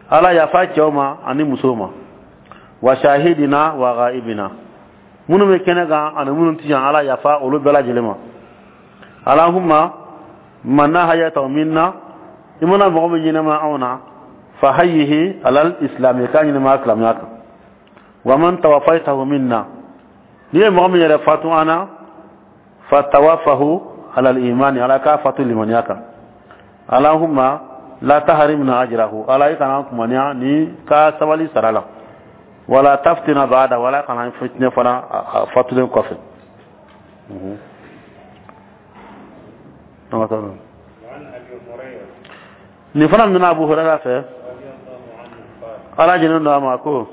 Ala yafa cɛw ma ani musow ma, wa shahidina wa ghaibina, minnu bɛ kɛnɛ kan ani minnu ti yan, Ala yafa olu bɛɛ lajɛlen ma. Allahumma man ahayaytahu minna, i mana mɔgɔ min ɲɛnama anw na, fa hayyihi alal islami, k'a ɲɛnama silamɛya kan, wa man tawaffaytahu minna, n'i ye mɔgɔ min yɛrɛ fatu an na, fa tawaffahu alal imani, Ala k'a fatu limaniya kan. Allahumma la tahrimna ajrahu, Ala i kana kumaniya ni ka sabali sara la, wala taftina ba'da, wala kana fitinɛ fana a fatulen kɔfɛ. Nin fana minɛna Abu Hurairah fɛ, Ala jɛnnen don a ma, ko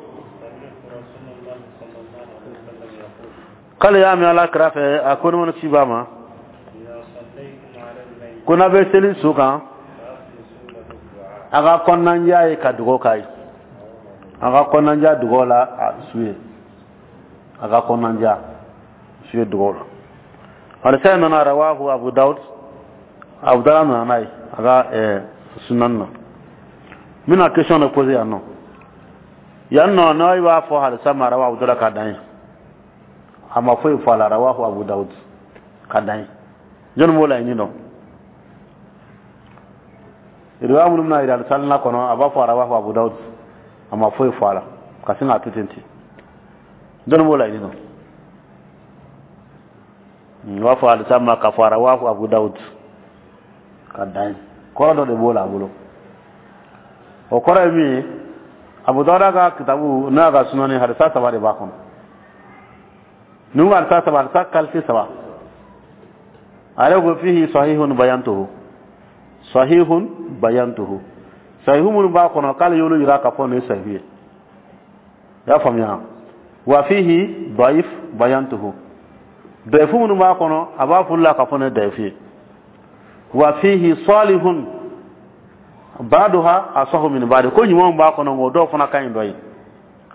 k'ale y'a mɛn Ala kira fɛ, a ko nɛɛma ni kisi b'a ma, ko n'a bɛ seli su kan, a ka kɔnɔnajɛya ye ka dugawu k'a ye, a ka kɔnɔnajɛya dugawu la a su ye, a ka kɔnɔnajɛya su ye dugawu la. Hadisa in nana rawahu Abu Dawud, Abu Dawud nana n'a ye a ka sunan na. N bɛna question dɔ poser yan nɔ. Yan nɔ, n'aw b'a fɔ hadisa ma rawahu Abu Dawud ka dan ye, a ma foyi fɔ a la, rawahu Abu Dawud ka dan ye, jɔnni b'o laɲini dɔn? Riwaya minnu bɛna yira salina kɔnɔ, a b'a fɔ rawahu Abu Dawud, a ma foyi fɔ a la, ka sin k'a to ten ten, jɔnni b'o laɲini dɔn? U b'a fɔ hadisa ma k'a fɔ rawahu Abu Dawud ka dan ye, kɔrɔ dɔ de b'o la a bolo. O kɔrɔ ye min ye, Abu Dawuda ka kitabu n'a ka sunani, hadisa saba de b'a kɔnɔ. Ninnu hadisa saba, hadisa qualité saba. A yɛrɛ ko fihi sahihun bayantuhu, sahihun bayantuhu, sahihu minnu b'a kɔnɔ, k'ale y'olu yira k'a fɔ nin ye sahihu ye. I y'a faamuya? Wa fihi daif bayantuhu, daifu minnu b'a kɔnɔ, a b'a f'olu la k'a fɔ nin ye daifu ye. Wa fihi salihun ba'duha asahu min ba'd, ko ɲumanw b'a kɔnɔ, nka o dɔw fana ka ɲi dɔ ye.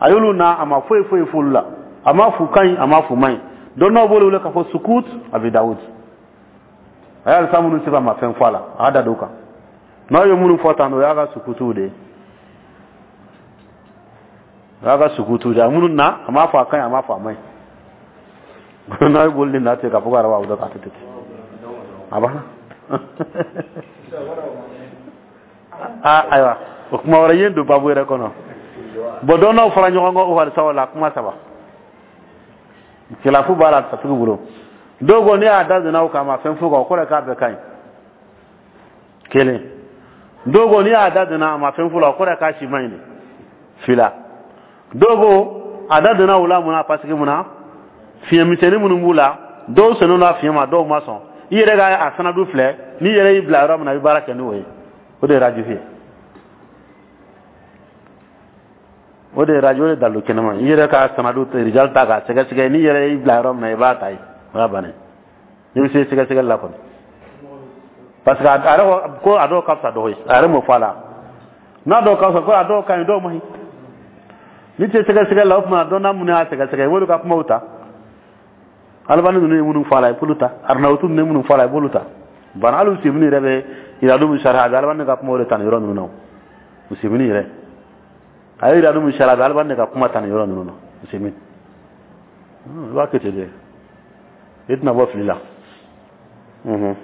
A y'olu na, a ma foyi foyi f'olu la, a ma f'u ka ɲi, a ma f'u man ɲi. Dɔnnaw b'olu wele k'a fɔ sukut Abi Dawud. A y'a hadisa minnu sɛbɛn, a ma fɛn fɔ a la, a y'a da don o kan. N'aw ye minnu fɔ tan, o y'a ka sukutuw de ye, o y'a ka sukutuw de ye. A minnu na, a m'a fɔ a ka ɲi, a m'a fɔ a man ɲi. N'aw ye boli na ten k'a fɔ ko arabu dɔ k'a to ten, a banna. Aa, ayiwa, o kuma wɛrɛ ye don babu yɛrɛ kɔnɔ. Bon, dɔnnaw fara ɲɔgɔn kan o hadisaw la, kuma saba khilafu b'a la satigi bolo. Dɔw ko ne y'a da donna o kan, a ma fɛn f'o kan, o kɔrɔ ye k'a bɛɛ ka ɲi. Kelen. Dɔw ko n'i y'a da donna, a ma fɛn f'o la, o kɔrɔ ye k'a si man ɲi de. Fila. Dɔw ko a da donna o la mun na? Parce que mun na, fiɲɛ misɛnnin minnu b'u la, dɔw sɔnnen don a fiɲɛ ma, dɔw ma sɔn. I yɛrɛ ka a sanadu filɛ, n'i yɛrɛ y'i bila yɔrɔ min na, i bɛ baara kɛ n'o ye. O de ye rajihu ye, o de ye rajihu, o de ye dalilu kɛnɛma ye. I yɛrɛ ka sanadu rijal ta k'a sɛgɛsɛgɛ, n'i yɛrɛ y'i bila yɔrɔ min na, i b'a ta yen, o y'a bannen. N'i bɛ se sɛgɛsɛgɛli la kɔni, parce que a yɛrɛ ko a dɔw ka fisa dɔw ye, a yɛrɛ m'o fɔ a la. N'a dɔw ka fisa, ko a dɔw ka ɲi, dɔw man ɲi. N'i tɛ sɛgɛsɛgɛli la, o tuma dɔnna minnu y'a sɛgɛsɛgɛ, i b'olu ka kumaw ta. Alibani ninnu ye minnu fɔ a la, i b'olu ta. Arinawutu ninnu ye minnu fɔ a la, i b'olu ta. Bana hali Usemini yɛrɛ bɛ iradu min sariya, a bɛ Alibani ka kumaw de ta nin yɔrɔ ninnu na. Usemini yɛrɛ a ye iradu min sariya, a bɛ Alibani ka kuma ta nin yɔrɔ ninnu na. Usaimin, i b'a kɛ ten de, i tɛna bɔ fili la. N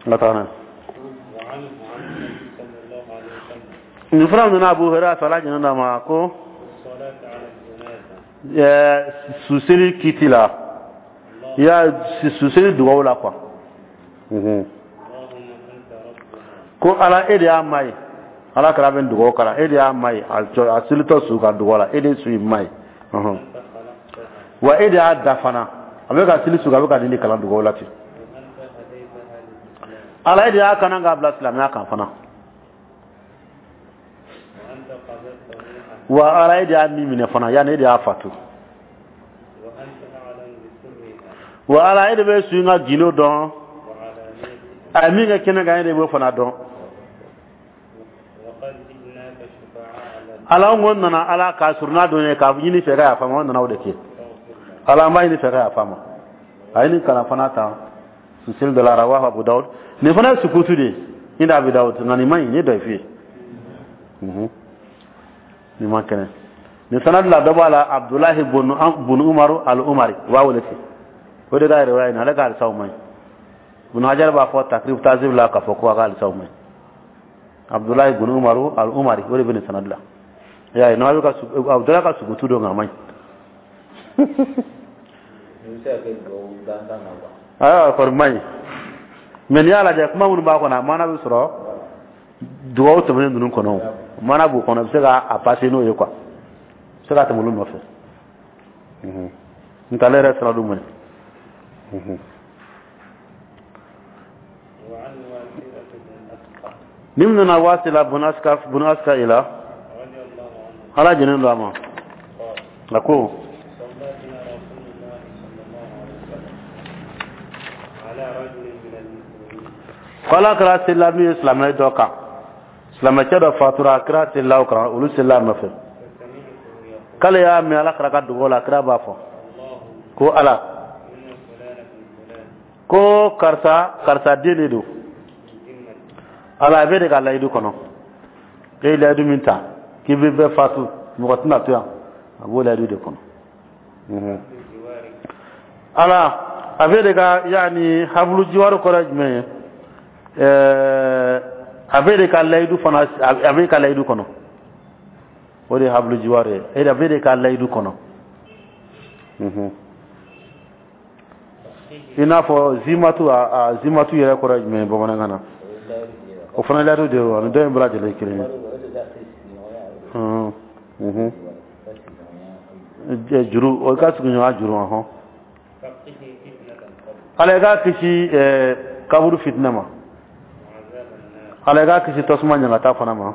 ka taa n'a ye. Nin fana nana Abu Hurairah fɛ, Ala jɛnna a ma, ko suseli kiti la, i y'a suseli dugawu la quoi. Ko Ala, e de y'a ma ye. Ala kira bɛ dugawu kalan, e de y'a ma ye a selitɔ su ka dugawu la, e de su in ma ye wa e de y'a da fana. A bɛ ka seli su, a bɛ ka nin de kalan dugawu la ten. Ala, e de y'a kana k'a bila silamɛya kan fana wa Ala, e de y'a ni minɛ fana, yanni e de y'a fatu wa Ala, e de bɛ su in ka gindo dɔn, a ye min kɛ kɛnɛ kan, e de b'o fana dɔn. Ala, an ko nana Ala k'a surunna don ye k'a ɲini fɛ ka yafa ma, an nana o de kɛ. Ala, an b'a ɲini fɛ ka yafa ma. A ye nin kalan fana ta suseli dɔ la, rawahu Abu Dawud. Nin fana ye sukutu de ye inda Abu Dawud, nka nin man ɲi, nin ye dayifu ye, nin man kɛnɛ. Nin sanadi la, dɔ b'a la, Abdulahi bun Umaru al Umari, u b'a wele ten, o de ka riwaya in, ale ka hadisaw man ɲi. Ibn Hajar b'a fɔ Takrib Tazib la k'a fɔ ko a ka hadisaw man ɲi. Abdulahi bun Umaru al Umari, o de bɛ nin sanadi la. I y'a ye, n'a bɛ ka Abdulahi ka sukutu don, nka a man ɲi. Ayiwa, kɔni man ɲi, mais n'i y'a lajɛ, kuma minnu b'a kɔnɔ, a maana bɛ sɔrɔ dugawu tɛmɛnen ninnu kɔnɔ, maana b'u kɔnɔ, i bɛ se k'a passer n'o ye quoi, i bɛ se ka tɛmɛ olu nɔfɛ. N t'ale yɛrɛ sanadu man ɲi. Ni min nana Wasila bun Aska ila, Ala jɛnnen don a ma, a ko ko Ala kira selila min ye silamɛ dɔ kan, silamɛcɛ dɔ fatura, kira selila o kan, olu selila a nɔfɛ. K'ale y'a mɛn Ala kira ka dugawu la, kira b'a fɔ ko Ala, ko karisa, karisa den de don. Ala, a bɛ de ka layidu kɔnɔ, e ye layidu min ta k'i bɛ bɛɛ fatu, mɔgɔ tɛna to yan, a b'o layidu de kɔnɔ. Ala, a bɛ de ka yaani habulu jiwaru kɔrɔ ye jumɛn ye? A bɛ de ka layidu fana, a bɛ ka layidu kɔnɔ, o de ye habulu jiwaru ye, e a bɛ de ka layidu kɔnɔ. I n'a fɔ zimatu, a zimatu yɛrɛ kɔrɔ ye jumɛn ye bamanankan na? O fana layidu de ye, ani dɔ in bɛɛ lajɛlen kelen ye, juru, o ka sigiɲɔgɔnya juru. Hɔn, Ala, i k'a kisi kaburu fitinɛ ma. Ala, i k'a kisi tasuma ɲangata fana ma.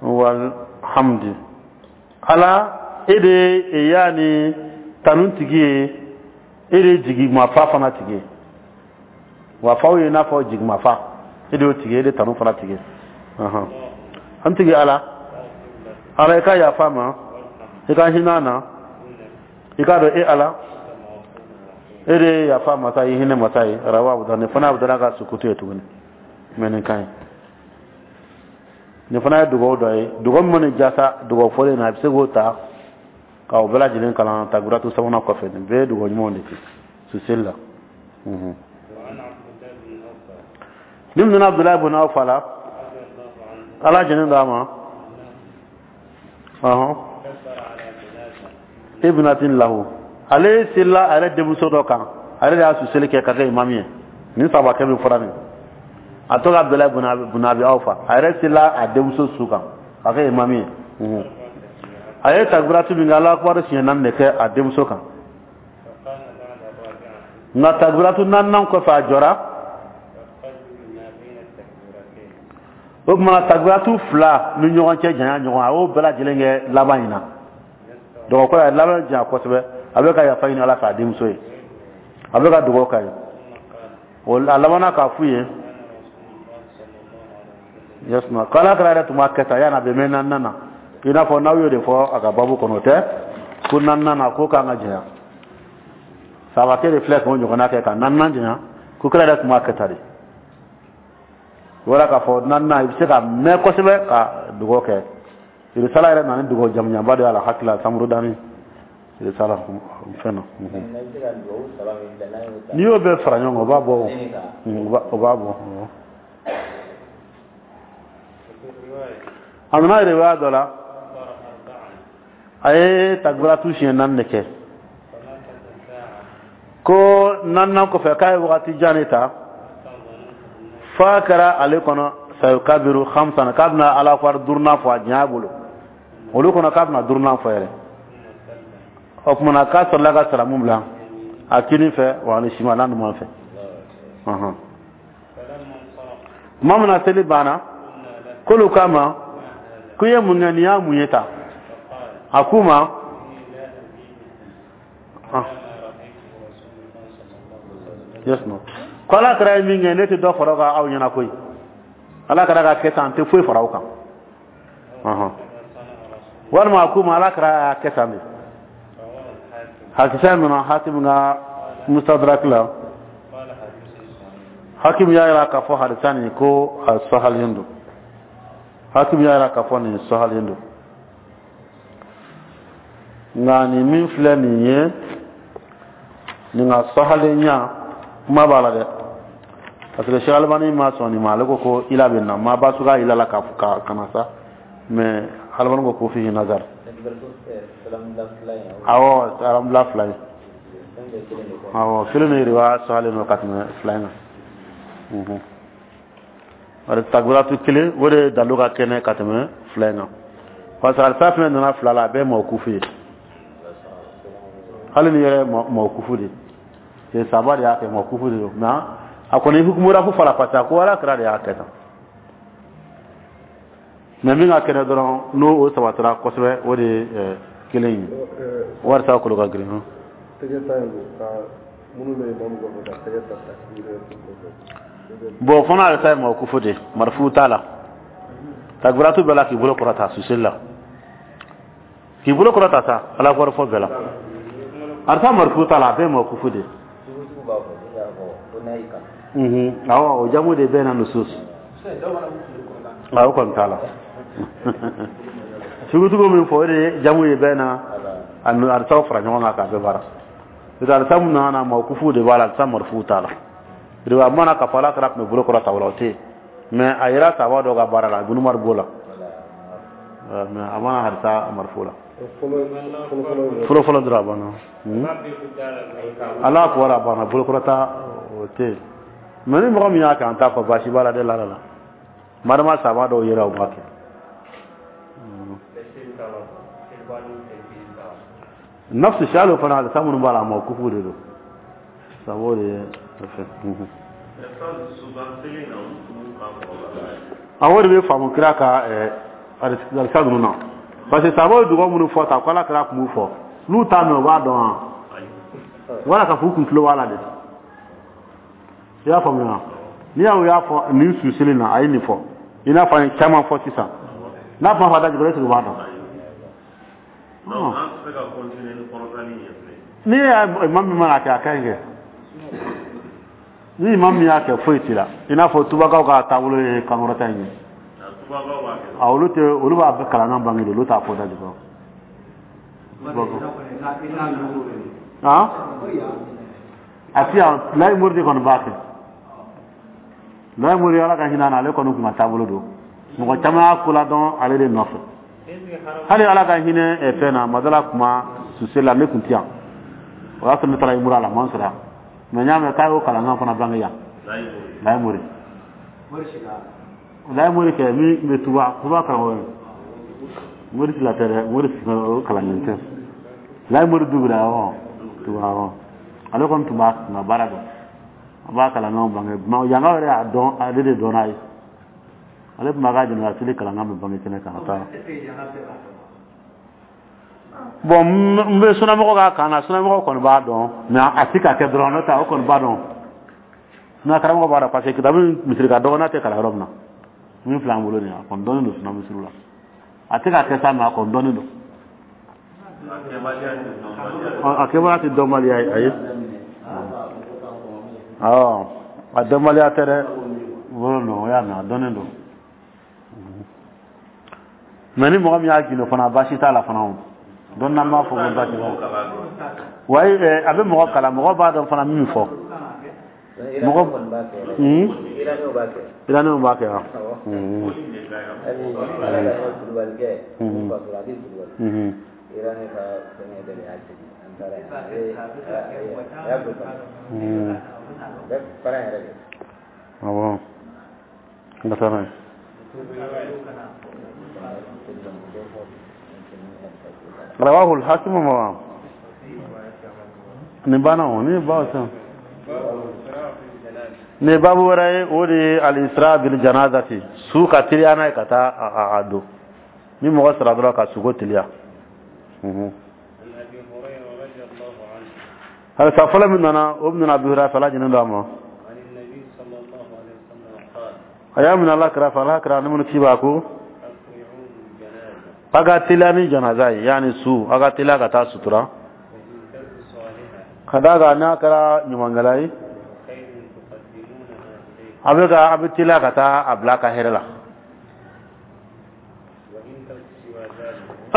Walhamdi, Ala, e de yaani tanu tigi ye, e de ye jigimafa fana tigi ye. Wafaw ye i n'a fɔ jigimafa, e de y'o tigi ye, e de tanu fana tigi ye. An tigi Ala, Ala, i ka yafa ma, i ka hinɛ na, i k'a dɔn e Ala, e de ye yafa masa ye, hinɛ masa ye. Rawa Abu Dawud. Nin fana Abu Dawud ka sukutu ye tuguni, mais nin ka ɲi. Nin fana ye dugawu dɔ ye, dugawu min mana jasa dugawu fɔlen na, a bɛ se k'o ta ka o bɛɛ lajɛlen kalan takbiratu sabanan kɔfɛ. Nin bɛɛ ye dugawu ɲumanw de kɛ suseli la. Ni min nana Abudulayi bun Awfa la, Ala jɛnnen don a ma, ɔhɔn, ibnatin lahu, ale selila a yɛrɛ denmuso dɔ kan, a yɛrɛ de y'a suseli kɛ ka kɛ imamu ye. Nin sabakɛ min fɔra nin, a tɔgɔ Abudulayi bun Abi Awfa, a yɛrɛ selila a denmuso su kan ka kɛ imamu ye. A ye takbiratu min kɛ, Alahu akubaru siɲɛ naani de kɛ a denmuso kan, nka takbiratu naaninan kɔfɛ, a jɔra. O tuma takbiratu fila ni ɲɔgɔn cɛ janya ɲɔgɔn, a y'o bɛɛ lajɛlen kɛ laban in na. Dɔgɔkɔ a ye laban janya kosɛbɛ, a bɛ ka yafa ɲini Ala fɛ a denmuso ye, a bɛ ka dugawu k'a ye. O a labanna k'a f'u ye yasuma ko Ala kira yɛrɛ tun b'a kɛ tan yanni a bɛ mɛn naaninan na. I n'a fɔ n'aw y'o de fɔ a ka babu kɔnɔ, o tɛ ko naaninan na ko k'an ka janya. Sabakɛ de filɛ k'o ɲɔgɔnna kɛ ka naaninan janya, ko kira yɛrɛ tun b'a kɛ tan de. Wala k'a fɔ naaninan, i bɛ se ka mɛn kosɛbɛ ka dugawu kɛ. Risala yɛrɛ nana ni dugawu jamujanba de y'a la hakili la samuru dani risala fɛn na. N'i y'o bɛɛ fara ɲɔgɔn kan, o b'a bɔ, o b'a bɔ. A nana riwaya dɔ la, a ye takbiratu siɲɛ naani de kɛ, ko naaninan kɔfɛ k'a ye wagati jan de ta f'a kɛra ale kɔnɔ sayukabiru khamsan, k'a bɛna Alahu akubar duurunan fɔ a janya bolo, olu kɔnɔ k'a bɛna duurunan fɔ yɛrɛ. O tuma na k'a sɔrɔla ka salamu bila a kinin fɛ wa ani sima n'a numan fɛ. Tuma min na seli banna, k'olu k'a ma ko i ye mun kɛ, nin y'a mun ye ta? A k'u ma, yes no, ko Ala kira ye min kɛ, ne tɛ dɔ fara o kan aw ɲɛna koyi. Ala kira ka kɛ tan, n tɛ foyi fara o kan. Walima a k'u ma Ala kira y'a kɛ tan de. Hadisa nana Hakim ka Mustadrak la. Hakim y'a yira k'a fɔ hadisa nin ko a sahalen don. Hakim y'a yira k'a fɔ nin sahalen don. Nka nin min filɛ nin ye, nin ka sahalenya kuma b'a la dɛ, parce que Cheikh Albani ma sɔn nin ma. Ale ko ko ila bɛ na ma basu ka ila la ka ka na sa, mais Albani ko ko fihi nazar. Awɔ, salamula fila ye, awɔ, kelen de riwaya sahalen don ka tɛmɛ fila in kan. Bari takbiratu kelen, o de dalu ka kɛnɛ ka tɛmɛ fila in kan, parce que alisa fɛnɛ nana fila la, a bɛɛ mawkufu ye. Hali ni yɛrɛ mawkufu de ye, saba de y'a kɛ, mawkufu de don, mais a kɔni hukumu rafu fara, parce que a ko Ala kira de y'a kɛ tan. Mais min ka kɛnɛ dɔrɔn, n'o o sabatira kosɛbɛ, o de ye kelen ye, walisa kolo ka girin. Tɛgɛ ta in ka minnu bɛ imamu kɔfɛ ka tɛgɛ ta takbir kɔfɛ. Bon, fana alisa ye mawkufu de, marfu t'a la. Takbiratu bɛɛ la k'i bolo kɔrɔta suseli la, k'i bolo kɔrɔta sa Ala kɔrɔ fɔ bɛɛ la, alisa marfu t'a la, a bɛɛ mawkufu de. Awɔ, o jamu de bɛ na nusus. Awɔ, kɔni t'a la. Sugusugu min fɔ, o de ye jamu ye bɛɛ na alisaw fara ɲɔgɔn kan k'a bɛɛ baara. N'o tɛ alisa mun nana, mawkufu de b'a la, alisa marfu t'a la. Riwaya mana k'a fɔ Ala kira tun bɛ bolo kɔrɔta o la, o tɛ yen, mais a yera sahaba dɔw ka baara la, Ibn Umar b'o la, mais a mana hadisa marfu la. Fɔlɔ fɔlɔ dɔrɔn a banna. Ala ko a banna, bolo kɔrɔta o tɛ yen. Mais ni mɔgɔ min y'a kɛ, an t'a fɔ baasi b'a la dɛ, la la madama sahaba dɔw yera u b'a kɛ. Nafsi salo fana hadisa minnu b'a la, a mawkufu de don, sabo de ye fɛn. A o de bɛ faamu kira ka alisa ninnu na, parce que sabaw ye dugawu minnu fɔ ta ko Ala kira tun b'u fɔ, n'u t'a mɛn u b'a dɔn wa, wala ka fɔ u kun tulo b'a la de. I y'a faamuya? N'i y'a y'a fɔ nin susili na, a ye nin fɔ, i n'a fɔ an ye caman fɔ sisan, n'a kuma fɔ a da jukɔrɔ, est-ce que u b'a dɔn? N'i y'a imam min mana kɛ, a ka ɲi kɛ. Ni imam min y'a kɛ, foyi t'i la. I n'a fɔ tubakaw ka taabolo ye kankɔrɔta in ye, a olu tɛ, olu b'a bɛɛ kalankan bange de, olu t'a fɔ da jukɔrɔ. A ti yan, Layi Mori de kɔni b'a kɛ. Layi Mori, Ala ka hinɛ a na, ale kɔni kun ka taabolo don, mɔgɔ caman y'a ko ladɔn ale de nɔfɛ. Hali Ala ka hinɛ fɛn na, madala kuma suse la, ne kun ti yan, o y'a sɔrɔ ne taara imura la, man sɔrɔ yan, mais n y'a mɛn k'a y'o kalankan fana bange yan. Layi Mori, Layi Mori kɛ min bɛ tuba tuba karamɔgɔ ye, Mori sila tɛ dɛ, Mori o kalanden tɛ. Layi Mori dugura, awɔ, tuba, awɔ, ale kɔni tun b'a kun ka baara dɔn, a b'a kalankanw bange. Yankaw yɛrɛ y'a dɔn, ale de dɔn n'a ye, ale tun b'a ka jɛnɛya seli kalankan bɛ bange kɛnɛ kan ka taa. Bon, n bɛ sunamɔgɔ ka kan na, sunamɔgɔ kɔni b'a dɔn, mais a ti ka kɛ dɔrɔn, n'o tɛ o kɔni b'a dɔn. N'a karamɔgɔ b'a dɔn, parce que kitabu misiri ka dɔgɔ n'a tɛ kalan yɔrɔ min na, min filɛ an bolo nin ye, a kɔni dɔnnen don suna misiri la. A tɛ ka kɛ sa, mais a kɔni dɔnnen don. A kɛbaliya tɛ dɔnbaliya ye, ayi. Awɔ, a dɔnbaliya tɛ dɛ, bolo don, o y'a mɛn, a dɔnnen don. Mais ni mɔgɔ min y'a gundo fana, baasi t'a la fana. O donc n'an b'a fɔ ko baasi t'a la, wayi, a bɛ mɔgɔ kalan, mɔgɔ b'a dɔn fana min fɔ mɔgɔ. Iranɛw b'a kɛ wa? Awɔ, n ka taa n'a ye. Rawahu al-Hakim. Ma nin banna o ni ba san ni babu wɛrɛ ye, o de ye al-isra bil janazati, su ka teliya n'a ye ka taa a don. Ni mɔgɔ sara dɔrɔn, ka suko teliya. Hadisa fɔlɔ min nana, o nana Abi Hurayra fɛ, Ala jɛnnen don a ma. A y'a minɛ Ala kira fɛ, Ala kira ni minnu ci b'a ko a ka teliya ni janaza ye, yaani su, a ka teliya ka taa sutura, ka d'a kan n'a kɛra ɲumankɛla ye, a bɛ teliya ka taa a bila a ka hɛrɛ la.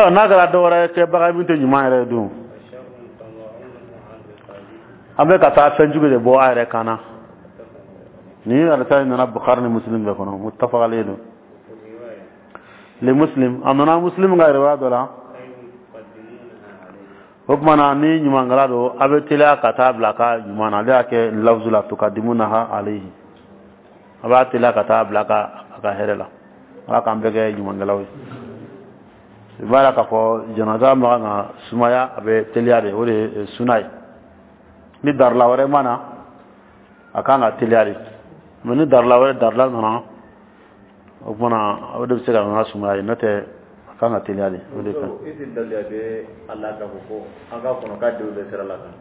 N'a kɛra dɔ wɛrɛ kɛbaga min tɛ ɲuman yɛrɛ ye dun, an bɛ ka taa fɛn jugu de bɔ a yɛrɛ kan na. Ni hadisa in nana Bukhari ni Muslim bɛɛ kɔnɔ, muttafaq alayhi don. Li Muslim, a nana Muslim ka riwaya dɔ la. O tuma na, ni ɲumankɛla don, a bɛ teliya ka taa bila a ka ɲuman na. Ale y'a kɛ lafzu la tukadimunaha alayhi, a b'a teliya ka taa bila a ka hɛrɛ la. Ala k'an bɛɛ kɛ ɲumankɛlaw ye. I b'a la k'a fɔ janaza ma kan ka sumaya, a bɛ teliya de, o de ye suna ye. Ni darila wɛrɛ ma na, a kan ka teliya de. Mais ni darila wɛrɛ darila nana, o tuma na, o de bɛ se ka na sumaya ye. N'o tɛ, a kan ka teliya de, o de kan.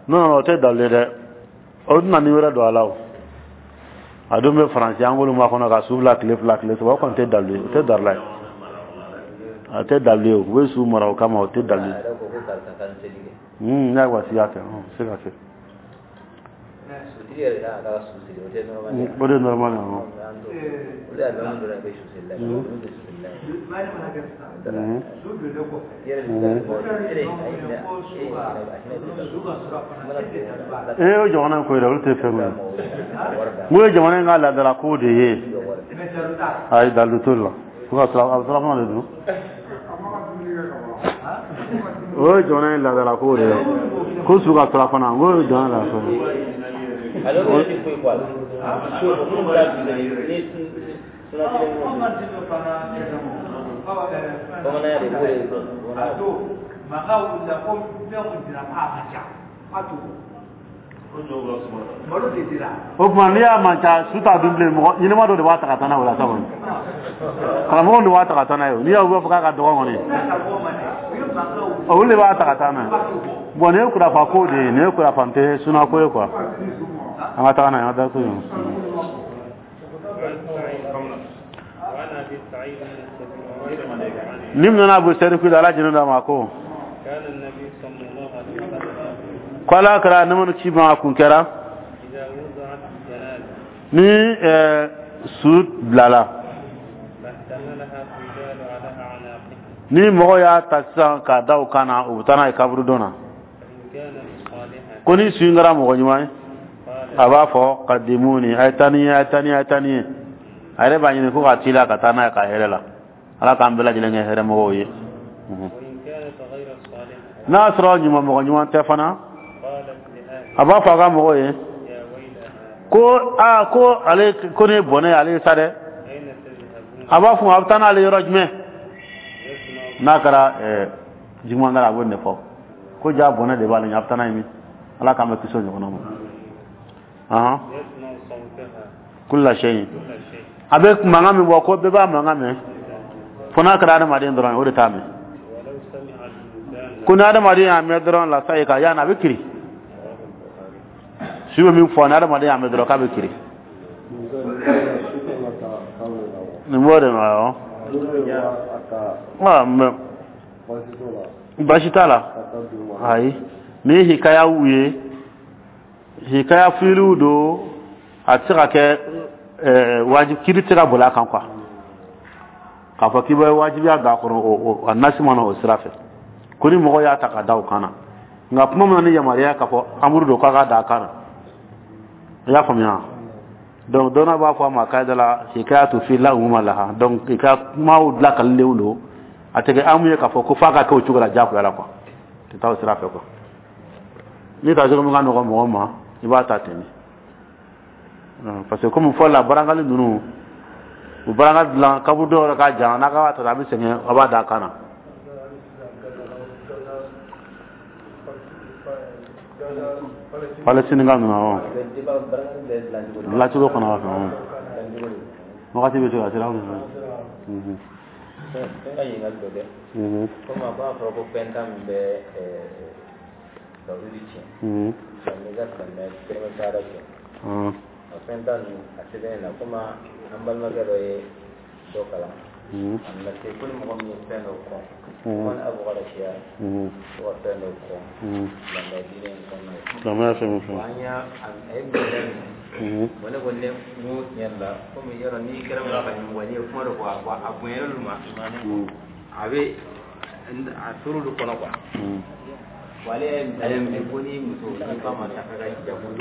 Non, non, o tɛ dalilu ye dɛ. O tɛna ni wɛrɛ don a la. O a don bɛ Faransi, an k'olu ma kɔnɔ ka su bila tile 2, tile 3, o kɔni tɛ dalilu ye, o tɛ darila ye, a tɛ dalilu ye. U bɛ su mara o kama, o tɛ dalilu ye. Ne y'a wasiya kɛ, se ka kɛ. O de normal ye. Ee, o jamana in ko yɛrɛ, olu tɛ fɛn ye. N ko ye jamana in ka laadala ko de ye. Ayi, dalilu t'o la. Fo ka sɔrɔ a bɛ surafana de dun. O ye jamana in laadala ko de ye ko su ka surafana. N ko ye jamana laadala ko ye. O tuma, n'i y'a man ca, su t'a dun bilen. Mɔgɔ ɲɛnɛma dɔ de b'a ta ka taa n'a ye o la sa kɔni. Karamɔgɔw de b'a ta ka taa n'a ye. N'i y'o b'a fɔ k'a ka dɔgɔ kɔni, olu de b'a ta ka taa n'a ye. Bon, nin ye kurafa ko de ye, nin ye kurafa tɛ suna ko ye quoi. An ka taga n'a ye, an ka taa so yen. Ni nana Abu Sa'id Khudri, Ala jɛnna d'a ma, ko ko Ala kɛra ne ci ma kun kɛra ni su bilala, ni mɔgɔ y'a ta sisan k'a da u kan na, u bɛ taa n'a ye kaburudon na. Ko ni su in kɛra mɔgɔ ɲuman ye, a b'a fɔ kadimuni, a ye taa ni ye, a ye taa ni ye, a ye taa ni ye. A yɛrɛ b'a ɲini ko ka teliya ka taa n'a ye ka hɛrɛ la. Ala k'an bɛɛ lajɛlen kɛ hɛrɛmɔgɔw ye. N'a y'a sɔrɔ ɲuman, mɔgɔ ɲuman tɛ fana, a b'a fɔ a ka mɔgɔw ye ko aa, ko ale ko ne bɔnɛ ale ye sa dɛ. A b'a fɔ a bɛ taa n'ale yɔrɔ jumɛn? N'a kɛra juguman kɛra, a b'o de fɔ ko ja bɔnɛ de b'ale ɲɛ, a bɛ taa n'a ye min? Ala k'an bɛ kisi o ɲɔgɔnna ma. Kulla shay, a bɛ mankan min bɔ, ko bɛɛ b'a mankan mɛn, fo n'a kɛra adamaden dɔrɔn ye, o de t'a mɛn. Ko ni adamaden y'a mɛn dɔrɔn, lasa ye ka yanni a bɛ kiri. Su bɛ min fɔ, ni adamaden y'a mɛn dɔrɔn, k'a bɛ kiri. Nin b'o de ma. Awɔ, mɛ baasi t'a la. Ayi, ni ye hikayaw ye, hikaya filiw don, a tɛ se ka kɛ wajib, kiri tɛ se ka boli a kan quoi. K'a fɔ k'i bɛ wajibiya don a kɔnɔ, o a nasi ma na o sira fɛ, ko ni mɔgɔ y'a ta ka da o kan na. Nka kuma min na ni yamaruya k'a fɔ amuru don k'a ka da a kan na, i y'a faamuya? Donc dɔnna b'a fɔ a ma kayida la hikayatu fi la umuma laha. Donc i ka kumaw lakalilenw don, a tɛ kɛ amu ye k'a fɔ ko f'a ka kɛ o cogo la diyagoya la quoi. Tɛ taa o sira fɛ quoi. N'i ta cogo min ka nɔgɔ mɔgɔ ma, i b'a ta ten de, parce que komi fɔlɔ la, barangali ninnu, u baranga dilan kaburu dɔw yɛrɛ ka jan, n'a ka b'a ta, a bɛ sɛgɛn, a b'a da a kan na. Palestine ka ninnu, awɔ, dilancogo fana b'a fɛ wagati bɛ se ka sira. N ka ɲininkali dɔ kɛ. Komi a b'a fɔra ko fɛn tan min bɛ tawhidi tiɲɛ, n'i ka silamɛya kɛlɛ taara tiɲɛ, a fɛn tan ninnu a sɛbɛnnen na, komi an balimakɛ dɔ ye dɔ kalan, a nana se ko ni mɔgɔ min ye fɛn dɔ kɔn, ko ni abu siya ko ka fɛn dɔ kɔn silamɛya diinɛ in kɔnɔna la. Silamɛya fɛn o fɛn. An y'a a ye misaliya minɛ. Bon, ne ko ne n ko tiɲɛ yɛrɛ la, komi yɔrɔ n'i kɛra mɔgɔ ka ɲɛmɔgɔ, n'i ye kuma dɔ fɔ, a bonyana olu ma, a bɛ a tor'olu kɔnɔ quoi. Wa ale ye misaliya minɛ ko ni muso ni ba ma taa ka jago.